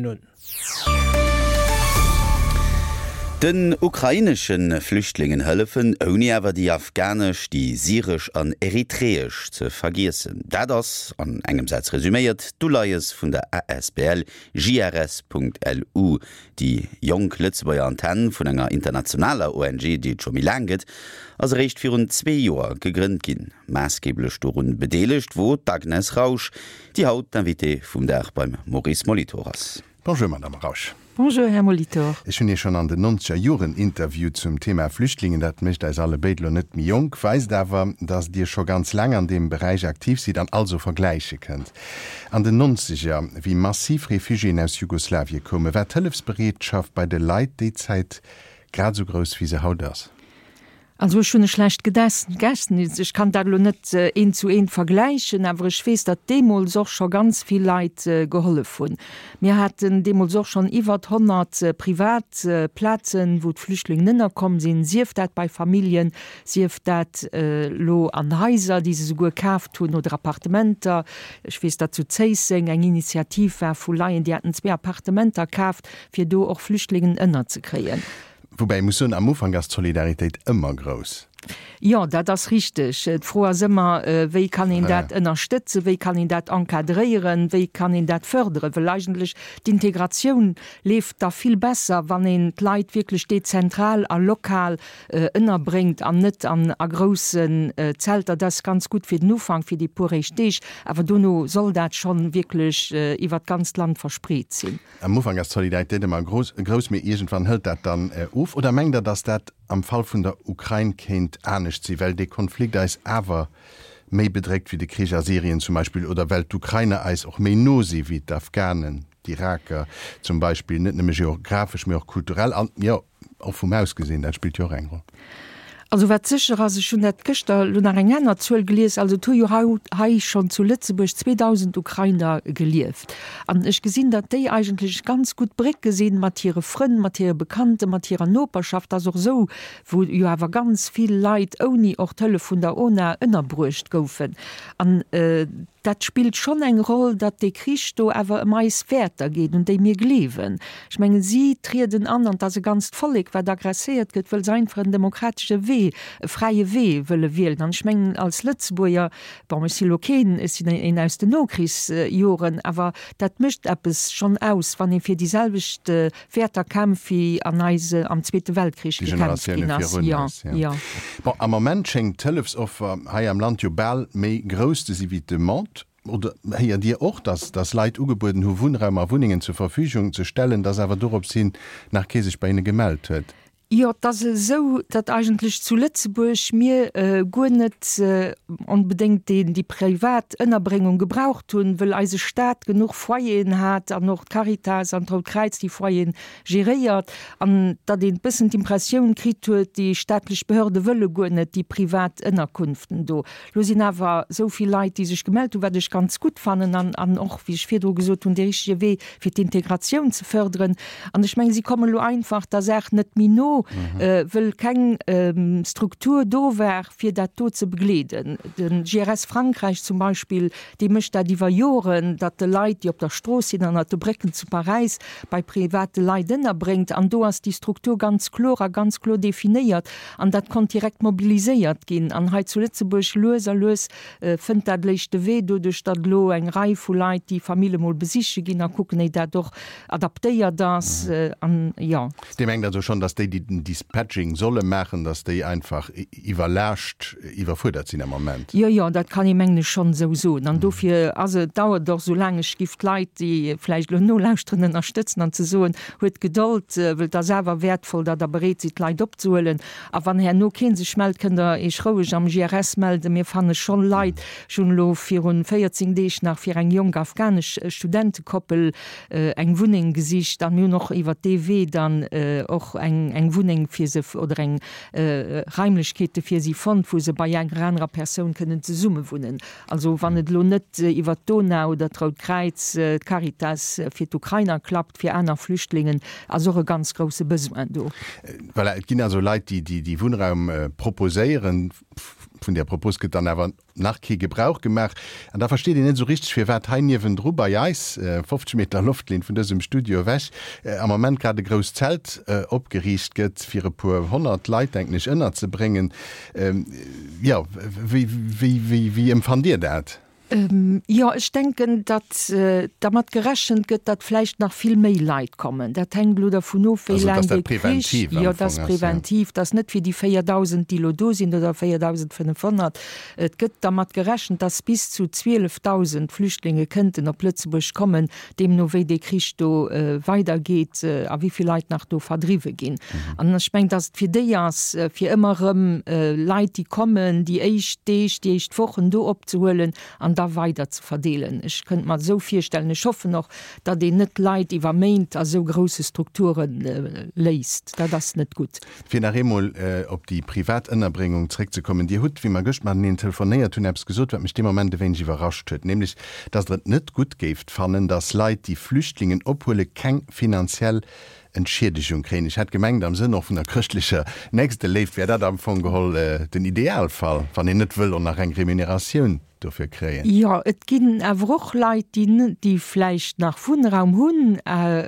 un. Den ukrainesche Flüchtlingen hëllefen, ouni awer déi afghanesch, déi syresch an eritreesch ze vergiessen. Dat ass, an engem Saz resuméiert, d'Uleies vun der asbl JRS.lu, Déi jonk Lëtzebuerger Antenn vun enger internationaler ONG, déi et scho méi laang gëtt, ass eréischt virun zwee Joer gegrënnt ginn. Maassgeeblech dorun bedeelegt wor d'Agnes Rausch, déi haut d'Invitée vum Dag beim Maurice Molitor ass. Bonjour Madame Rausch. Bonjour Här Molitor. Ech hunn Iech schonn an den nonzeger Joren interviewt zum Thema Flüchtlingen. Dat mécht eis alle béid lo net méi jonk, weist awer, dass Dir scho ganz laang an deem Beräich aktiv sidd an also vergläiche kënnt. An den Nonzeger, wéi massiv Refugiéen aus Jugoslawien koumen, war d'Hëllefsbereetschaft bei de Leit déi Zäit grad esou grouss wéi se haut ass? Also ech hunn e schlecht Gedächtnis, ech kann dat elo net eent zu eent vergläichen, awer ech weess, datt deemools och scho ganz vill Leit gehollef hunn. Mir haten deemools och schonn iwwert 100 privat Plazen, wou d'Flüchtlingen ënnerkomm sinn, sief dat bei Familljen, sief dat elo an Haiser, déi se souguer kaaft hunn, oder Appartementer. Ech weess, datt zu Zéisseng eng Initiativ war vu Laien, déi haten zwee Appartementer kaaft, fir do och Flüchtlingen ënnerzekréien. Woubäi ee muss soen, am Ufank ass d'Solidaritéit ëmmer grouss. Jo, dat ass richteg. D'Fro ass ëmmer, wéi kann een dat ënnerstëtzen, wéi kann een dat encadréieren, wéi kann een dat fërderen? Well eigentlech d'Integratioun leeft da vill besser, wann een d'Leit wierklech dezentral a lokal ënnerbréngt an net an a groussen Zelter. Dat ass ganz gutt fir den Ufank, fir déi puer éischt Deeg, awer dono soll dat schonn wierklech iwwert d'ganzt Land verspreet sinn. Am Ufank ass d'Solidaritéit ëmmer grouss, mee iergendwann hëlt dat dann of. Oder mengt Der, datt dat am Fall vun der Ukrain kéint anescht sinn, well dee Konflikt eis awer méi bedréckt wéi de Krich a Syrien zum Beispill, oder well d'Ukrainer eis och méi no si wéi d'Afghanen, d'Iraker zum Beispill, net nëmme geographesch, mee och kulturell an, jo, Och vum Haus gesinn, dat spillt jo och eng Roll. Also wat sécher ass, ech hunn dat gëschter elo nach eng aner Zuel gelies, also et hu jo haut hei schonn zu Lëtzebuerg 2.000 Ukrainer gelieft. An ech gesinn, datt déi eigentlech ganz gutt Brécke sinn mat hire Frënn, mat hire Bekannten, mat hirer Noperschaft. Ass och esou, wou jo awer ganz vill Leit ouni och d'Hëllef vun der ONA ënnerbruecht goufen. An Dat spillt schonn eng Roll, datt dee Krich do awer ëm eis Wäerter geet, un déi mir gleewen. Ech mengen, si trieden an, an 't ass e ganzt Vollek, wat agresséiert gëtt, wëll se einfach en demokratesche Wee, e fräie Wee wëlle wielen. An ech mengen, als Lëtzebuerger, bon, ech si lo keen, ech sinn een aus den Nokrichsjoren, awer dat mécht eppes schonn aus, wann ee fir déi selwecht Wäerter kämpft, wéi an eise am Zweete Weltkrich Déi gekämpft Generatioune ginn ass. virun Jo, eis, jo. jo. Bon, am Ament schéngt d'Hëllefsoffer hei am Land jo bal méi grouss ze si wéi d'Demande. Oder héiert Dir och, dass dass Leit ugebueden hu Wunnraum a Wunnengen zur Verfügung ze stellen, dass awer dorops hin nach kee sech bei hinne gemellt huet? Jo, et ass esou, datt eigentlech zu Lëtzebuerg mir guer net onbedéngt déi privat Ënnerbréngung gebraucht hunn, wëll eise Staat genuch Foyeren hat an och d'Caritas an d'Rout Kräiz déi Foyeren geréiert an datt een bëssen d'Impressioun kritt huet, déi staatlech Behörde wëlle guer net déi privat Ënnerkunften do. Lo sinn awer esou vill Leit, déi sech gemellt hunn, wat ech ganz gutt fannen an, an och, wéi ech virdru gesot hunn, dee richtege Wee, fir d'Integratioun ze förderen. An ech mengen, si kommen elo einfach der Saach net méi no, wëll keng Struktur do war, fir dat do ze begleeden. De GRS Frankräich zum Beispill, dee mécht dat iwwer Joren, datt e Leit, déi op der Strooss sinn, ënnert de Brécken zu Paräis, bei private Leit ënnerbréngt. An do ass déi Struktur ganz kloer a ganz kloer definéiert. An dat konnt direkt mobiliséiert ginn. An hei zu Lëtzebuerg, lues a lues fënnt dat léischt de Wee, doduerch datt elo eng Rei vu Leit déi Famille mol besiche ginn a kucken, éi dat och adaptéiert ass. An jo. Dir mengt also schonn, datt déi, déi den Dispatching solle maachen, datt déi einfach iwwerlaascht, iwwerfuerdert sinn am Ament? Jo, jo, dat kann ee mengen ech schonn esou soen. An dofir ass et, dauert et och esou laang. Ech giff d'Leit, déi vläicht elo nolauschteren, ënnerstëtzen an ze soen, Huet Gedold, wëll et ass awer wäertvoll, datt Der bereet sidd, d'Leit opzehuelen. A wann herno kee sech mellt, kënnt Der Iech roueg am GRS melden. Mir fanne schonn Leit. Ech hunn elo virun 14 Deeg nach fir eng jonk afghanesch Studentekoppel eng Wunneng gesicht a mir hunn och iwwert dee Wee dann och eng Wunneng fir se oder eng Raimlechkeete fir si fonnt, wou se bei enger anerer Persoun kënnen zesummewunnen. Also wann et elo net iwwert d'DONA oder d'Rout Kräiz, d'Caritas fir d'Ukrainer klappt, fir aner Flüchtlingen ass och e ganz grousse Besoin do. Voilà, et ginn also Leit, déi déi Wunnraum proposéieren. Vun där Propos gëtt dann awer nach kee Gebrauch gemaach. An da versteet een net esou richteg, firwat hei niewendru bei eis, 50 Meter Loftlinn vun dësem Studio ewech, am Moment grad e grousst Zelt opgeriicht gëtt, fir e puer 100 Leit, denken ech, ënnerzebréngen. Jo, wéi, wéi, wéi, wéi empfannt Dir dat? Jo, ech denken, datt dermat gerechent gëtt, datt vläicht nach vill méi Leit kommen. Dat hänkt elo dervun of, wéi laang dee Krich. Jo, dat ass präventiv. Dat ass net fir déi 4.000, déi elo do sinn, oder 4.500. Et gëtt dermat gerechent, datt bis zu 12.000 Flüchtlinge kënnten op Lëtzebuerg kommen, deemno wéi dee Krich do weidergeet a wéi vill Leit nach do verdriwwe ginn. An ech mengen, datt et fir déi ass, fir ëmmer erëm Leit, déi kommen, déi éischt Deeg, déi éischt Wochen do opzehuelen an da weider ze verdeelen. Ech kënnt mer esou virstellen. Ech hoffen och, datt een net Leit iwwer Méint a sou grousse Strukture léisst. Dat ass net gutt. Fir nach eemol op déi privat Ënnerbréngung zréckzekommen, Dir hutt, wéi mer gëscht mateneen telefonéiert hunn, eppes gesot, wat mech dee Moment e wéineg iwwerrascht huet, nämlech dass Der et net gutt géift fannen, dass Leit, déi Flüchtlingen ophuelen, keng finanziell Entschiedegung kréien. Ech hat gemengt, am Sënn och vun der chrëschtlecher Nächsteléift wär dat am Fong geholl den Idealfall, wann een net wëll och nach eng Remuneratioun dofir kréien. Jo, et ginn awer och Leit, déi, déi vläicht nach Wunnraum hunn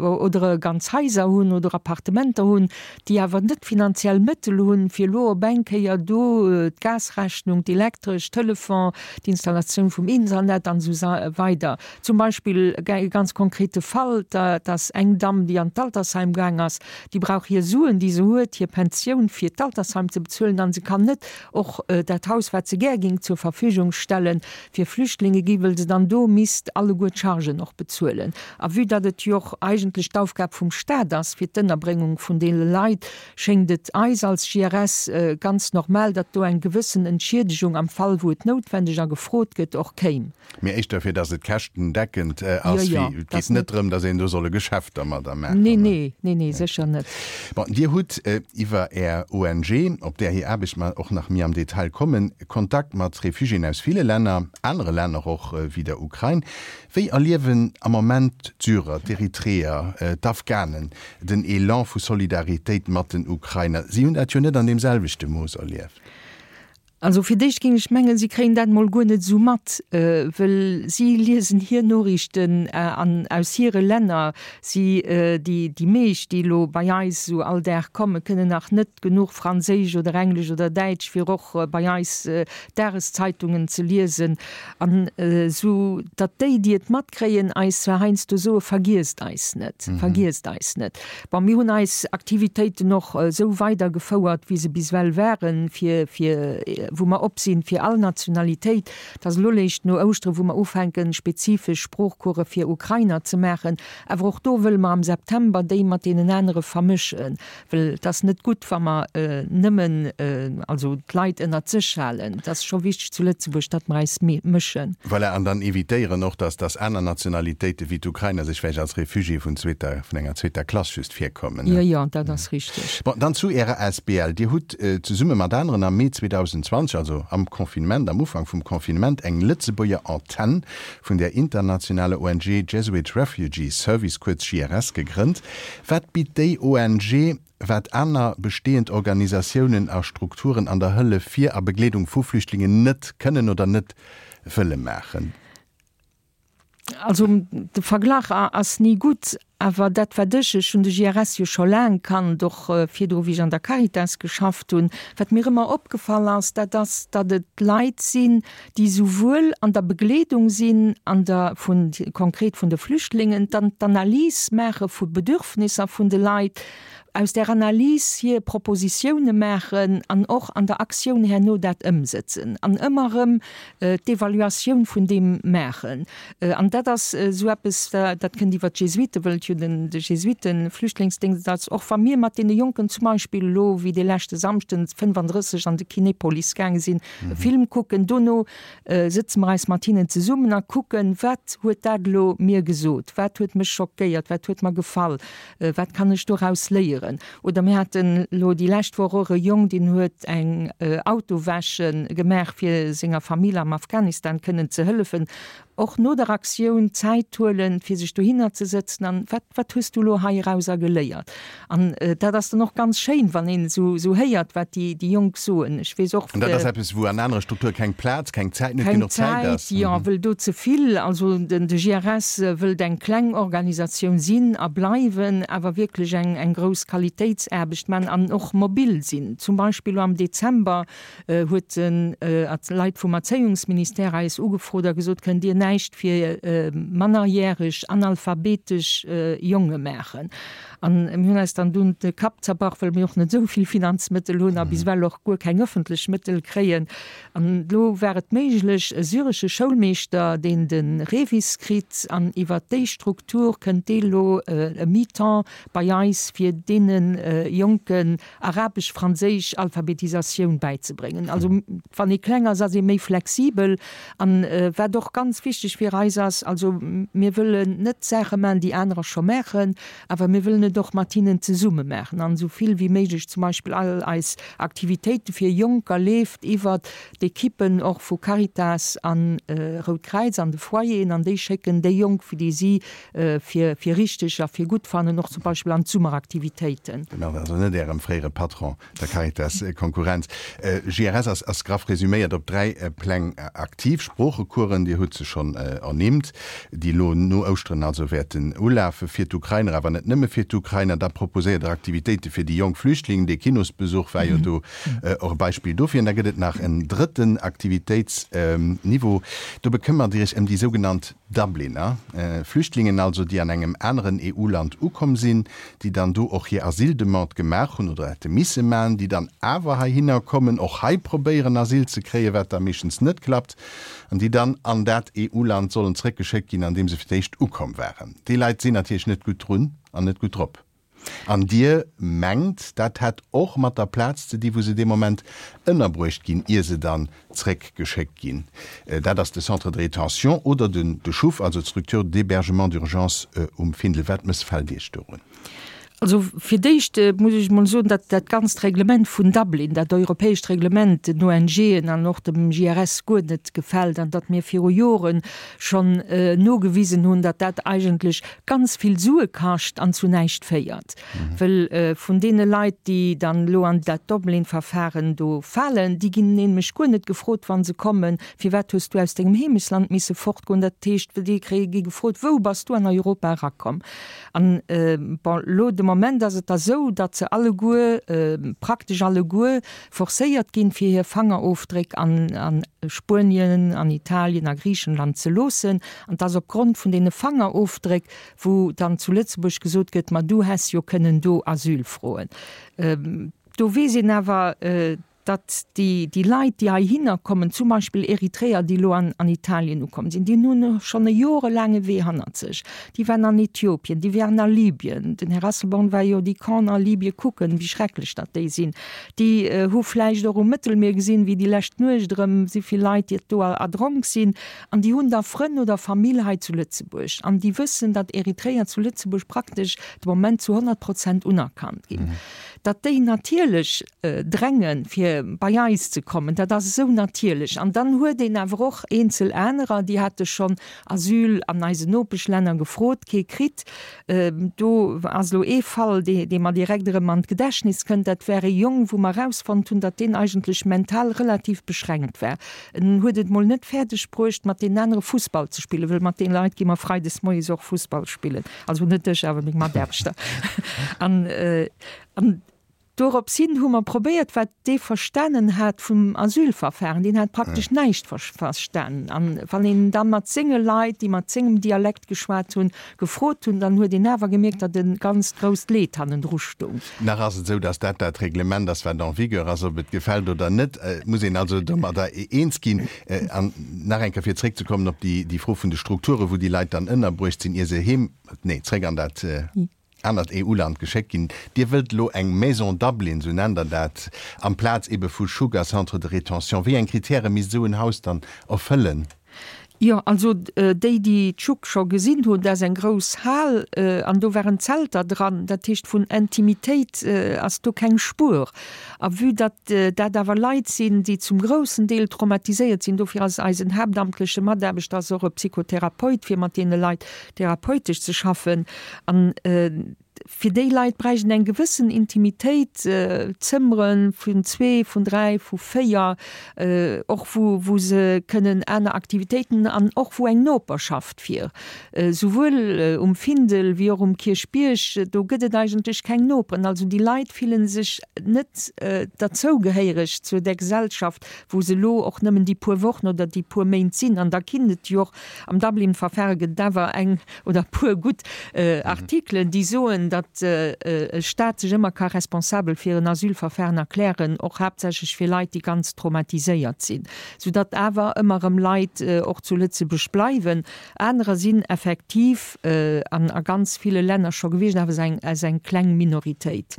oder ganz Haiser hunn oder Appartementer hunn, déi awer net d'finanziell Mëttel hunn, fir elo op eng Kéier do d'Gasrechnung, d'Elektresch, Telefon, d'Installatioun vum Internet an esou weider. Zum Beispill e ganz konkrete Fall, dat ass eng Damm, déi an d'Altersheim gaang ass, déi brauch hir Suen, déi se huet, hir Pensioun, fir d'Altersheim ze bezuelen an se kann net och dat Haus, wat se gär géing zur Verfügung stellen, fir Flüchtlinge gi, wëll se dann do misst alleguer d'Chargen och bezuelen. A vue datt et jo och eigentlech d'Aufgab vum Stat ass, fir d'Ënnerbréngung vun deene Leit, schéngt et eis als JRS ganz normal, datt do eng gewëssen Entschiedegung am Fall, wou et noutwendeg a gefrot gëtt, och kéim. Mee éischter fir datt et käschtendeckend ass, wéi et geet net drëm, datt een do soll e Geschäft dermadder maachen. Nee, nee, nee, nee, sécher net. Bon, Dir hutt iwwer Är ONG, op där hir Aarbecht mer och nach méi am Detail kommen, Kontakt mat Refugiéen aus ville Länner, anere Länner och wéi der Ukrain. Wéi erliewen am Moment d'Syrer, d'Eritreer, d'Afghanen den Elan vu Solidaritéit mat den Ukrainer? Si hunn dat jo net an deem selwechte Mooss erlieft. Also fir d'éischt géing ech mengen, si kréien dat mol guer net esou mat, wëll si liesen hir Noriichten an aus hire Länner. Si, déi déi meescht, déi elo bei eis esou all Dag kommen, kënnen nach net genuch Franséisch oder Englesch oder Däitsch, fir och bei eis Dageszeitungen ze liesen. An esou datt déi, déi et matkréien, eis zwar heiansdo soe vergiesst eis net, vergiesst eis net. Bon, mir hunn eis Aktivitéiten och esou weidergefouert, wéi se bis ewell waren, fir, fir, wou mer op sinn fir all Nationalitéit. Et ass elo léischt no Ouschtere wou mer ufänken, spezifesch Sproochcourse fir Ukrainer ze maachen. Awer och do wëlle mer am September déi mat deenen anere vermëschen, well et ass net gutt, wa mer nëmmen, also d'Leit ënnert sech halen. Et ass scho wichteg zu Lëtzebuerg, datt mer eis mëschen. Voilà, an dann evitéieren och, dass dass aner Nationalitéite wéi d'Ukrainer sech vläicht als Réfugié vun zweeter, vun enger zweeter Klass just virkommen. Jo, jo, dat ass richteg. Bon, dann zu Ärer Asbl. Dir hutt zesumme mat aneren am Mee 2020, also am Confinement, am Ufank vum Confinement, eng Lëtzebuerger Antenn vun der internationaler ONG Jesuit Refugee Service, kuerz JRS, gegrënnt. Wat bitt déi ONG wat aner bestehend Organisatiounen a Strukturen an der Hëllef fir a Begleedung vu Flüchtlingen net kënnen oder net wëlle maachen. Also de Verglach ass ni gutt, awer dat wat ech, ech hunn de JRS jo scho laang kannt, och virdru wéi ech an der Caritas geschafft hunn, wat mir ëmmer opgefall ass, dat ass, datt et Leit sinn, déi souwuel an der Begleedung sinn, an der vun konkret vun de Flüchtlingen, dann d'Analys maache vu Bedürfnisser vun de Leit, aus där Analys hir Propositioune maachen an och an der Aktioun herno dat ëmsëtzen an ëmmer erëm d'Evaluatioun vun deem maachen. An dat ass esou eppes, dat kënnt iwwer d'Jesuiten, wëll et jo den de Jesuiten-Flüchtlingsdéngscht ass. Och wa mir mat deene Jonken zum Beispill elo wéi dee leschte Samschden 35 an de Kinepolis gaange sinn, e Film kucken, dono sëtze mer eis mat hinnen zesummen a kucken, wat huet dat elo mir gesot, wat huet mech schockéiert, wat huet mer gefall, wat kann ech doraus léieren. Oder mir haten elo déi lescht Woch och e Jong, deen huet eng Autowäsche gemaach, fir senger Famill am Afghanistan kënnen ze hëllefen. Och no der Aktioun Zäit huelen, fir sech dohinner ze sëtzen an, wat, wat hues du elo heirauser geléiert? An dat ass dann och ganz schéin, wann een esou, esou héiert, wat déi, déi Jonk soen. Ech weess och. An dat ass eppes, wou an anere Strukture keng Plaz, keng Zäit, net genuch Zäit ass. Keng Zäit, jo, wëll do ze vill. Also den, de JRS wëllt eng kleng Organisatioun sinn a bleiwen, awer wierklech eng, eng grouss Qualitéitsaarbecht man an och mobil sinn. Zum Beispill elo am Dezember huet den Leit vum Erzéiungsministère eis ugefrot a gesot, Kënnt Dir näischt fir mannerjäreg analphabetesch Jonge maachen? An mir hunn eis dann dunn de Kapp zerbrach, well mir och net esou vill Finanzmëttel hunn a bis ewell och guer keng ëffentlech Mëttel kréien. An elo war et méiglech, e syresche Schoulmeeschter, deen de REVIS kritt, an iwwert déi Struktur kënnt dee elo e Mi-temps bei eis, fir deene Jonken Arabesch-Franséisch Alphabetisatioun bäizebréngen. Also wann ee kleng ass, ass ee méi flexibel. An wat och ganz wichteg fir eis ass, also mir wëllen net Saache maachen, déi anerer scho maachen, awer mir wëllen et och mat hinnen zesumme maachen an esou vill wéi méiglech zum Beispill all eis Aktivitéite fir Jonker leeft iwwert d'Ekippen och vu Caritas an Rout Kräiz an de Foyeren an déi schécken déi Jonk, fir déi si fir fir richteg a fir gutt fannen, och zum Beispill an d'Summeraktivitéiten. Genau, also net Ärem fréiere Patron, der Caritas Konkurrenz. JRS ass ass graff resüméiert op 3 Pläng aktiv, Sproochecoursen, Dir hutt se schonn ernimmt, déi elo no Ouschteren also wäerten ulafe fir d'Ukrainer, awer net nëmme fir d'Ukrainer. Da proposéiert Der Aktivitéite fir déi jonk Flüchtlingen, dee Kinosbesuch war jo do och e Beispill dofir. An da gëtt et nach en drëtten Aktivitéitsniveau, do bekëmmert Dir Iech ëm déi sougenannt Dubliner, Flüchtlingen also, déi an engem aneren EU-Land ukomm sinn, déi dann do och hir Asyldemande gemaach hunn oder hätte misse maachen, déi dann awer heihinner kommen, och hei probéieren Asyl ze kréien, wat da meeschtens net klappt, an déi dann an dat EU-Land sollen zrëckgeschéckt ginn, an deem se fir d'éischt ukomm waren. Déi Leit sinn natierlech net gutt drun an net gutt drop. An Dir mengt, dat hätt och mat der Plaz ze di wou se dee Moment ënnerbruecht ginn, ier se dann zréckgeschéckt ginn. Dat ass de Centre de rétention oder den de CHUV, also d'Structure d'hébergement d'urgence um Findel. Wat mëssfält Iech dorun? Also fir d'éischt muss ech emol soen, datt dat ganzt Reglement vun Dublin, dat europäescht Reglement, den ONGen an och dem JRS guer net gefält an datt mir viru Jore schonn nogewisen hunn, datt dat eigentlech ganz vill Sue kascht an zu näischt féiert. Wëll vun deene Leit, déi dann elo an dat Dublin-Verfahren do falen, déi ginn nämlech guer net gefrot, wa se kommen, Firwat hues du aus dengem Heemechtsland misse fortgoen? Dat heescht, déi kréie gi gefrot, Wou bass du an Europa erakomm? An, bon, elo de Moment ass et da sou, datt se alleguer, praktesch alleguer, forcéiert ginn, fir hir Fangerofdréck an Spuenien, an Italien, a Griichenland ze loossen. An 't ass opgrond vun deene Fangerofdréck, wou dann zu Lëtzebuerg gesot gëtt, ma du häss jo kënnen do Asyl froen. Do weess een awer, datt déi, déi Leit, déi heihinner kommen, zum Beispill Eritreer, déi elo an, an Italien ukomm sinn, déi hunn schonn e jorelaange Wee hannert sech. Déi waren an Äthiopien, déi waren a Libyen. Den Här Asselborn war jo déi Campen a Libyen kucken, wéi schrecklech datt déi sinn. Déi hu vläicht och um Mëttelmier gesinn, wéi déi lescht Nuecht erëm souvill Leit déi do erdronk sinn. An déi hunn da Frënn oder Famill hei zu Lëtzebuerg. An déi wëssen, datt Eritreer zu Lëtzebuerg praktesch de Moment zu 100 Prozent unerkannt ginn. Datt déi natierlech drängen, fir bei eis ze kommen, dat ass esou natierlech. An dann huet een awer och eenzel anerer, déi hate schonn Asyl an eisen Nopeschlänner gefrot, kee kritt. Do ass elo ee Fall, dee mer direkt erëm an d'Gedächtnis kënnt. Dat war ee Jong, wou mer erausfonnt hunn, datt deen eigentlech mental relativ beschränkt war. En huet et mol net fäerdeg bruecht, mat deenen anere Fussball ze spillen, wëll mat deene Leit gi mer freides moies och Fussball spillen, also net ech, awer meng Mataarbechter. An, an Dorops hin hu mer probéiert, wat dee verstanen hat vum Asylverfahren, deen hat praktesch näischt verstanen. An wann een da mat senge Leit, déi mat sengem Dialekt geschwat hunn, gefrot hunn, dann huet een awer gemierkt, datt e ganzt grousst Leed hannendru stoung. Nach ass et esou, datt dat dat Reglement ass, wat en vigueur ass, ob et gefält oder net. Et muss een also domadder eens ginn. An nach eng Kéier, fir zréckzekommen op déi Fro vun de Strukturen, wou déi Leit dann ënnerbruecht sinn, ier se heem, nee, zréck an dat anert EU-Land geschéckt ginn. Dir wëllt elo eng Maison Dublin, sou nennt Der dat, amplaz ebe vu Sugar Centre de rétention. Wéi eng Kritäre misst esou en Haus dann erfëllen? Jo, also déi, déi d'Schuck scho gesinn hunn, dat ass eng grouss Hal an do waren Zelter dran. Dat heescht, vun Intimitéit ass do keng Spuer. A vue datt dat awer Leit sinn, déi zum groussen Deel traumatiséiert sinn, dofir ass eisen haaptamtleche Mataarbechter ass och e Psychotherapeut, fir mat deene Leit therapeutesch ze schaffen. An fir déi Leit bräicht een eng gewëssen Intimitéit, Zëmmere vun zwee, vun dräi, vu véier, och wou wou se kënnen aner Aktivitéiten an och wou eng Noperschaft wier. Souwuel um Findel wéi och um Kierchbierg, do gëtt et eigentlech keng Noperen. Also déi Leit fille sech net derzougehéiereg zu der Gesellschaft, wou se elo och nëmmen déi puer Wochen oder déi puer Méint sinn. An da ginn et jo och am Dublin-Verfahre gëtt et awer eng oder e puer gutt Artikelen, déi soen, datt e Staat sech ëmmer ka responsabel fir en Asylverfahren erklären, och haaptsächlech fir Leit, déi ganz traumatiséiert sinn, soudatt awer ëmmer erëm Leit och zu Lëtzebuerg bleiwen. Anerer sinn effektiv an a ganz ville Länner scho gewiescht, awer ass eng kleng Minoritéit.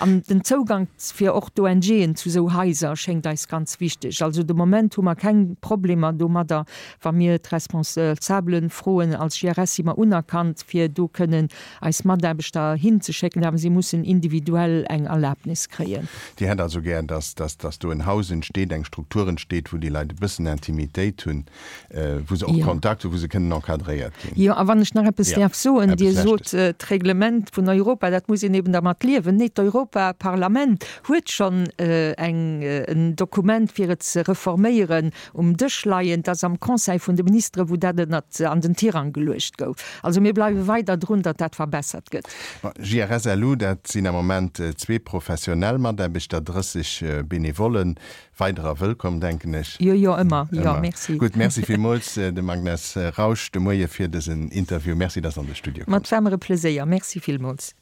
An den Zougank fir och d'ONGen zu esou Haiser schéngt eis ganz wichteg. Also de Moment hu mer keng Problemer domadder, wa mir d'Responsabelen froen. Als JRS si mer unerkannt, fir do kënnen eis Mataarbechter hinzeschécken, awer si mussen individuell eng Erlaabnis kréien. Dir hätt also gär, dass, dass, dass do en Haus entsteet, eng Struktur entsteet, wou déi Leit e bëssen Intimitéit hunn, wou se och Kontakt hunn, wou se kënnen encadréiert ginn. Jo, a wann ech nach eppes däerf soen, Dir sot, d'Reglement vun Europa, dat muss een eben dermat liewen. Nee, d'Europaparlament huet schonn eng, en Dokument, fir et ze reforméieren, um Dësch leien. Dat ass am Conseil vun de Ministeren, wou dat ënnert an den Tirang geluecht gouf. Also mir bleiwe weider drun, datt dat verbessert gëtt. Bon, JRSLU, dat sinn am Moment zwee professionell Mataarbechter, 30 Benevollen. Weiderer wëllkomm, denken ech. Jo, jo, ëmmer. Jo, merci. Gutt, merci villmools dem Agnes Rausch de Moie fir dësen Interview. Merci, dass an de Studio komm. Mat war mer e Pleséier. Merci villmools.